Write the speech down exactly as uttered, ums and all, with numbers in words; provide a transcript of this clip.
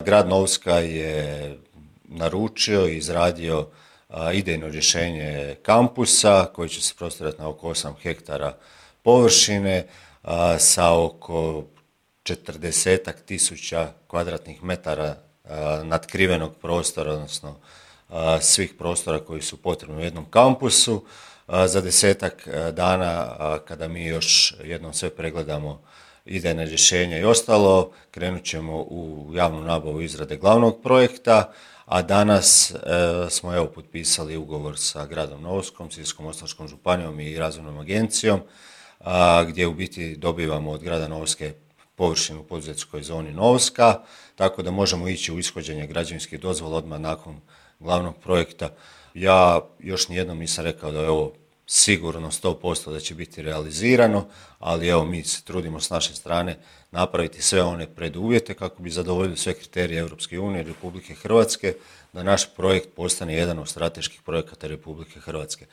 Grad Novska je naručio i izradio a, idejno rješenje kampusa koji će se prostirati na oko osam hektara površine a, sa oko četrdesetak tisuća kvadratnih metara a, natkrivenog prostora, odnosno a, svih prostora koji su potrebni u jednom kampusu. A, za desetak dana, a, kada mi još jednom sve pregledamo idejne rješenja i ostalo, krenut ćemo u javnu nabavu izrade glavnog projekta, a danas e, smo evo potpisali ugovor sa gradom Novskom, Sisačko-moslavačkom županijom i razvojnom agencijom, a, gdje u biti dobivamo od grada Novske površinu u poduzetničkoj zoni Novska, tako da možemo ići u ishođenje građevinskih dozvola odmah nakon glavnog projekta. Ja još nijednom nisam rekao da je ovo sigurno sto posto da će biti realizirano, ali evo mi se trudimo s naše strane napraviti sve one preduvjete kako bi zadovoljili sve kriterije Europske unije i Republike Hrvatske, da naš projekt postane jedan od strateških projekata Republike Hrvatske.